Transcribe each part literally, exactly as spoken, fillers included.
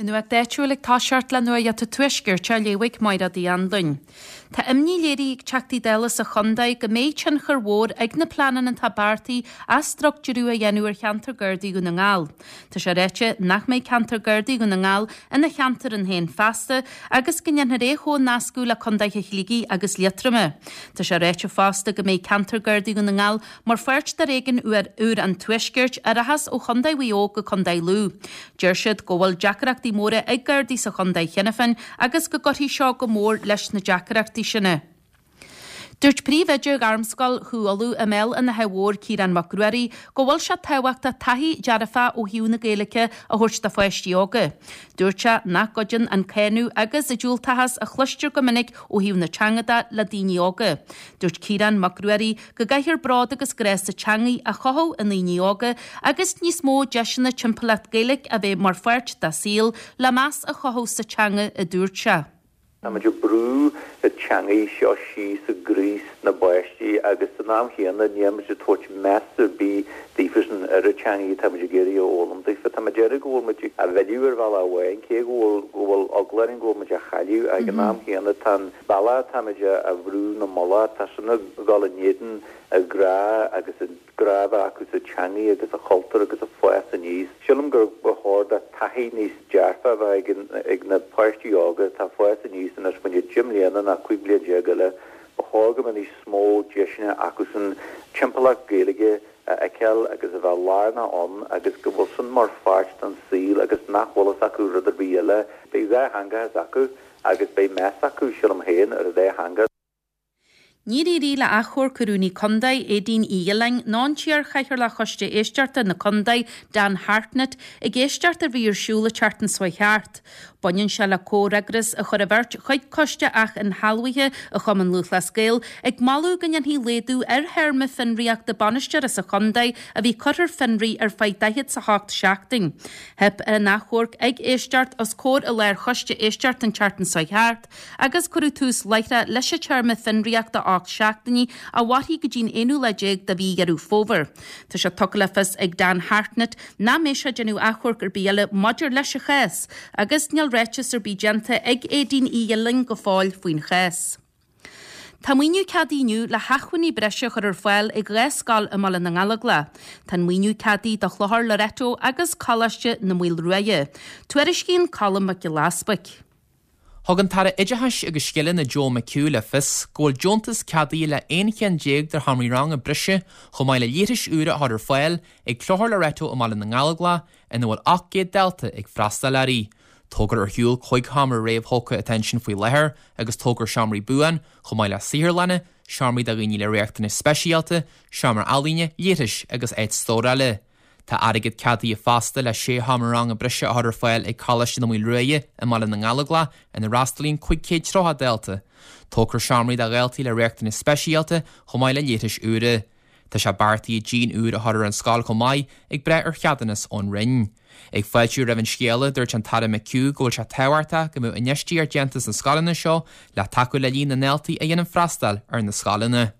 Nuacht áitiúil ag toiseacht le Nuacht an Tuaiscirt á léamh ag Máire Uí Anluain. Tá imní léirithe ag Teachtaí Dála sa chontae go mbeidh tionchar mhór ag na pleananna atá beartaithe athstruchtúrú a dhéanamh ar cheantar Gardaí Dhún na nGall. Tá sé ráite nach mbeidh ceantar Gardaí Dhún na nGall ina cheantar ann féin feasta agus go ndéanfar é a chomhnascadh le contaetha Shligigh agus Liatroma. Tá sé ráite fosta go mbeidh ceantar Gardaí Dhún na nGall mar pháirt de réigiún úr an Tuaiscirt a rachas ó Chontae Mhaigh Eo go Contae Lú. Deir siad go bhfuil deacrachtaí móra ag Gardaí sa chontae cheana féin agus go gcuirfidh seo go mór leis na deacrachtaí sin. Dúirt príomhoide Ghairmscoil Chú Uladh i mBéal an Átha Mhóir Ciarán Mac Ruairí go bhfuil sé tábhachtach taithí dearfach ó thaobh na Gaeilge a thabhairt do pháistí óga. Dúirt sé nach gcuidíonn an cáineadh agus an diúltachas a chloistear go minic ó thaobh na teanga de le daoine óga. Dúirt Ciarán Mac Ruairí go gcaithfear bród agus grá sa teangaidh a chothú i ndaoine óga agus níos mó deiseanna timpeallacht Gaeilge a bheith mar pháirt dá saol le meas a chothú sa teanga a dúirt sé. Táimid ag brú an teangaidh seo síos i gcroí na bpáistí agus san am chéanna nílimid ag tabhairt meas ar bith daofasan ar an teangaidh atáimid ag iarraidh a fhoghlaim daofa. Tá mé ag deireadh go bhfuil muid á mhilleadh ar bhealach amháin cé go bhfuil go bhfuil eagla orainn go bhfuil muid á chailleadh ag an am chéanna tá an bealach atáimid a bhrú 'na mullach tá sin ag dul in éadan a grá agus an grá a bheith acu sa teangaidh agus a chultúr agus a fás aníos. Sílim gur ba chóir do taithí níos dearfa a bheith ag ag na páistí óga atá ag fás aníos anois faoi deich mbliana ná cúig bliana déag eile, ba chóir go mbeadh níos mó deiseanna acusan timpeallacht Gaeilge a fheiceáil agus a bheith lárnach ann agus go bhfuil sin mar pháirt den saol agus nach bhfuil fhios acu rud ar bith eile. Beidh dhá theangachas acu agus beidh meas acu, sílim féin, ar an dá theanga. Níor éirigh le achomharc Rúnaí Contae, Aedín Uí Ghiolláin, ná an t-iar-chathaoirleach Choiste Éisteachta na Contae, Dan Hartnett, ag éisteacht a bhí ar siúl an tseachtain seo thart. Baineann sé le comhfhreagras a chur an bheirt chuig Coiste Ath-Inshealbhaithe an Chumann Lúthchleas Gael ag moladh go ndéanfaí laghdú ar théarma fionraíochta bainisteora sa chontae a bhí curtha ar fionraí ar feadh daichead 's a hocht seachtain. Theip ar an achomharc ag éisteacht os comhair an Lárchoiste Éisteachta an tseachtain seo thart agus cuireadh tús láithreach leis an téarma fionraíochta ocht seachtainí a mhairfidh go dtí'n aonú lá déag de mhí Dheireadh Fómhair. Tá sé tugtha le fios ag Dan Hartnett nach mbeidh sé ag déanamh achomharc ar bith eile maidir leis an chás, agus níl ráiteas ar bith déanta ag Aedín Uí Ghiolláin go fóill faoin chás. Tá maoiniú ceadaithe inniu le hacmhainní breise a chur ar fáil ag dhá scoil i mBaile na nGallóglach. Tá an maoiniú ceadaithe do Chlochar Loreto agus Coláiste na Maoilruaidhe. Tuairiscíonn Colm Mac Giolla Easbuic. Thug an tAire Oideachais agus Scileanna Joe McHugh le fios go bhfuil deontas ceadaithe le aon cheann déag de sheomraí ranga breise chomh maith le leithris úra a chur ar fáil ag Clochar Loreto i mBaile na nGallóglach ina bhfuil ocht gcéad dalta ag freastal uirthi. Tógfar ar shiúl cúig sheomra réamhthógtha atá ansin faoi láthair agus tógfar seomraí buan chomh maith le saotharlanna, seomraí do dhaoine le riachtanais speisialta, seomra ealaíne, leithris agus áit stórála. Tá airgead ceadaithe fosta le sé sheomra ranga breise a chur ar fáil ag Coláiste na Maoilruaidhe i mBaile na nGallóglach ina bhfreastalaíonn cúig chéad tríocha dalta. Tógfar seomraí do dhaltaí le riachtanais speisialta chomh maith le leithris úra. Tá sé beartaithe díon úr a chur ar an scoil chomh maith ag brath ar cheadúnas ón Roinn. Ag fáiltiú roimh an scéala dúirt an tAire McHugh go bhfuil sé tábhachtach go mbeadh infheistíocht déanta sna scoileanna seo le tacú le líon na ndaltaí a dhéanann freastal ar na scoileanna.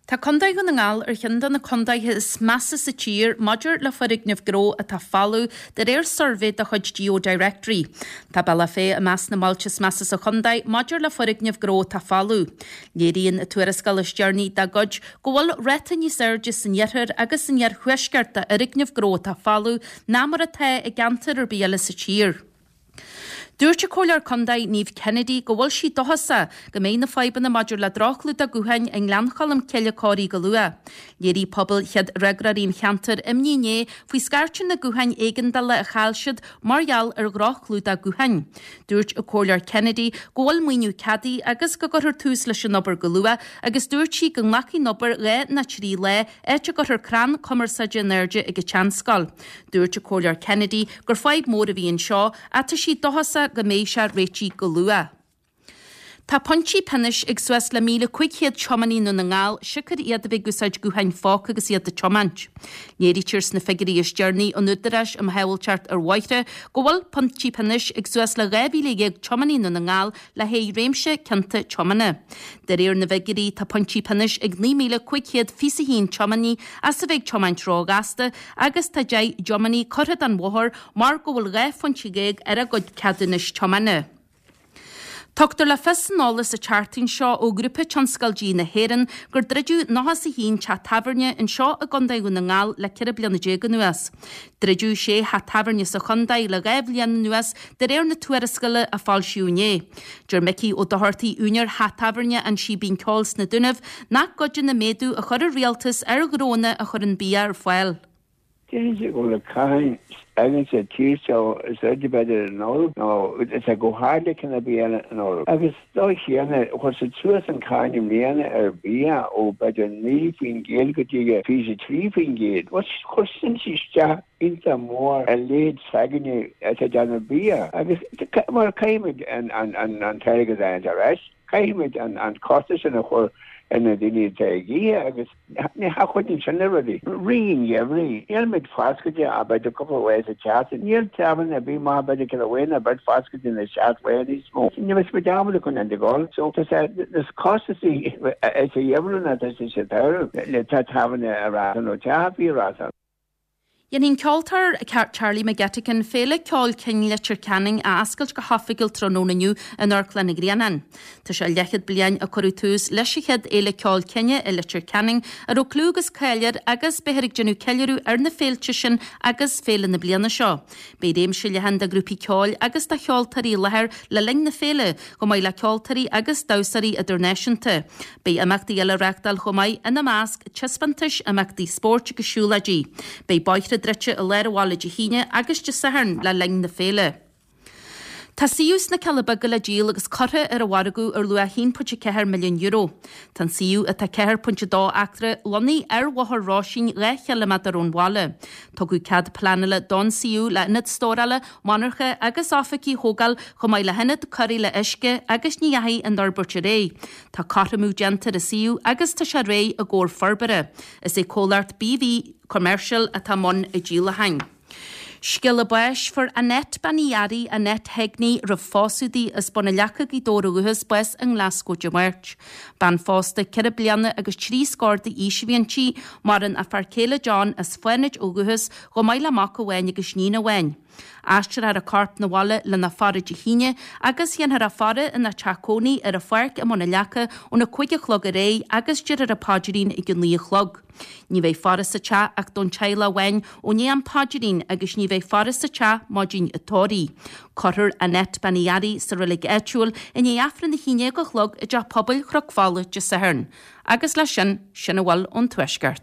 Tá Contae Dhún na nGall ar cheann de na contaetha is measa sa tír maidir le foirgnimh ghnó atá folamh de réir suirbhé de chuid GeoDirectory. Tá Bealach Féich i measc na mbailte is measa sa chontae maidir le foirgnimh ghnó atá folamh. Léiríonn an tuarascáil is deireanaí dá gcuid go bhfuil ráta níos airde san iarthar agus san iarthuaisceart d'fhoirgnimh ghnó atá folamh ná mar atá i gceantar ar bith eile sa tír. Dúirt an Comhairleoir Contae Niamh Kennedy go bhfuil sí dóchasach go mbeidh na fadhbanna maidir le droch-chlúdach gutháin i nGleann Cholm Cille cóirithe go luath. Léirigh pobal chéad fhreagróirí an cheantair imní inné faoi scairteadh na gutháin éigeandála a chaill siad mar gheall ar dhroch-chlúdach gutháin. Dúirt an Comhairleoir Kennedy go bhfuil maoiniú ceadaithe agus go gcuirfear tús leis an obair go luath agus dúirt sí go nglacfaidh an obair dhá nó trí lá áit a gcuirfear crann cumarsáide in airde ag an tseanscoil. Dúirt an Comhairleoir Kennedy gur fadhb mhór a bhí anseo ach tá sí dóchasach go mbeidh sé réitithe go luath. Tá pointí pionóis ag suas le míle cúig chéad tiománaí i nDún na nGall siocair iad a bheith ag úsáid gutháin phóca agus iad ag tiomáint. Léirítear sna figiúirí is deireanaí ón Údarás um Shábháilteacht ar Bhóithre go bhfuil pointí pionóis ag suas le dhá mhíle dhéag tiománaí i nDún na nGall le haghaidh réimse cionta tiomána. De réir na bhfigiúirí tá pointí pionóis ag naoi míle cúig chéad fiche a haon tiománaí as a bheith ag tiomáint róghasta agus tá deich dtiománaí curtha den bhóthar mar go bhfuil dhá phointe dhéag ar a gcuid ceadúnais tiomána. Tugtar le fios san eolas an tseachtain seo ó Ghrúpa Tionscal Dí na hÉireann gur druideadh nócha is a haon teach tábhairne anseo i gContae Dhún na nGall le ceithre bliana déag anuas. Druideadh sé theach tábhairne sa chontae le dhá bhliain anuas de réir na tuarascála a foilsíodh inné. Deir Micí Ó Dochartaigh, úinéir theach tábhairne An Síbín Ceoil sna Dúnaibh, nach gcuideoidh an méadú a chuir an rialtas ar ghnónna a chuireann bia ar fáil. Déarfainn go bhfuil an cáin againn sa tír seo is airde b'fhéidir in Eoraip nó is é go hard le cinn ar bith eile in Eoraip. Agus dóigh chéanna, chuir siad suas an cáin i mbliana ar bhia ó b'fhéidir naoi faoin gcéad go dtí fiche trí faoin gcéad. Bhuel, chuir sin isteach iontach mór ar leithéid s'againne atá ag déanamh bia agus mar caithfimid an t-airgead a fháil ar ais, caithfimid an costas sin a chur ar na daoine atá ag ithe agus ní chuidíonn sin le rudaí. Rith an gheimhridh, níl muid foscailte ach b'fhéidir cúpla lá sa tseachtain. Níl tábhairne ar bith maith b'fhéidir ceithre lá nó beirt foscailte na seacht lá níos mó. Ní bheidh muid ábalta chun an dul. So tá sé níos costasaí sa gheimhreadh ná tá sé sa tsamhradh le tábhairne a fhreastal nó teach ar bith a fhreastal. Dhéanfaidh an ceoltóir Charlie McGettigan Féile Ceoil Cinn Leitir Ceanainn a oscailt go hoifigiúil tráthnóna inniu in Amharclann an Ghrianáin. Tá sé leathchéad bliain ó cuireadh tús leis an chéad Fhéile Ceoil Cine i Leitir Ceanainn a raibh clú agus cáil air agus beifear ag déanamh ceiliúradh ar na féilte sin agus féile na bliana seo. Beidh réimse leathan de ghrúpaí ceoil agus de cheoltóirí i láthair le linn na féile, chomh maith le ceoltóirí agus damhsóirí idirnáisiúnta. Beidh imeachtaí eile á reáchtáil chomh maith, ina measc, taispeántais, imeachtaí spóirt agus siúlóidí. Beidh bóithre druidte i lár an bhaile Dé hAoine agus Dé Sathairn le linn na féile. Tá suíomh sna Cealla Beaga le díol agus curtha ar an mhargadh ar luach a haon pointe ceathair milliún euro. Tá an suíomh atá ceathair pointe dó acra lonnaithe ar Bhóthar Róisín dhá chiliméadar ón bhaile. Tugadh cead pleanála don suíomh le ionad stórála, monarcha agus oifigí a thógáil chomh maith le hionad cóireála uisce agus ní dheachaigh an fhorbairt ar aghaidh. Tá cothromú déanta ar an suíomh agus tá sé réidh i gcomhair forbartha. Is é comhlacht BV Commercial atá i mbun an díolacháin. Scéala báis, Fuair Annette Bean Uí Fhearraigh, Annette Hegney, roimh phósadh di, as Bun an Leaca, Gaoth Dobhair ó dhúchas, bás i nGlaschú Dé Máirt. Bean phósta ceithre bliana agus trí scór d'aois a bhí inti, maireann a fear céile John as Fánaid ó dhúchas, chomh maith le mac amháin agus níon amháin. Aistreofar a corp 'na bhaile lena faire Dé hAoine agus dhéanfar a faire ina teach cónaí ar a pháirc i mBun an Leaca óna cúig a chlog ar aghaidh agus déarfar an paidrín ag a naoi a chlog. Ní bheidh faire sa teach ach don teaghlach amháin ó ndiaidh an phaidrín agus ní bheidh faire sa teach maidin an tórraimh. Cuirfear Annette Bean Uí Fhearraigh sa reilig áitiúil i ndiaidh Aifreann a haon déag a chlog i dTeach Pobail Chnoc Fola Dé Sathairn. Agus leis sin, sin a bhfuil ón Tuaisceart.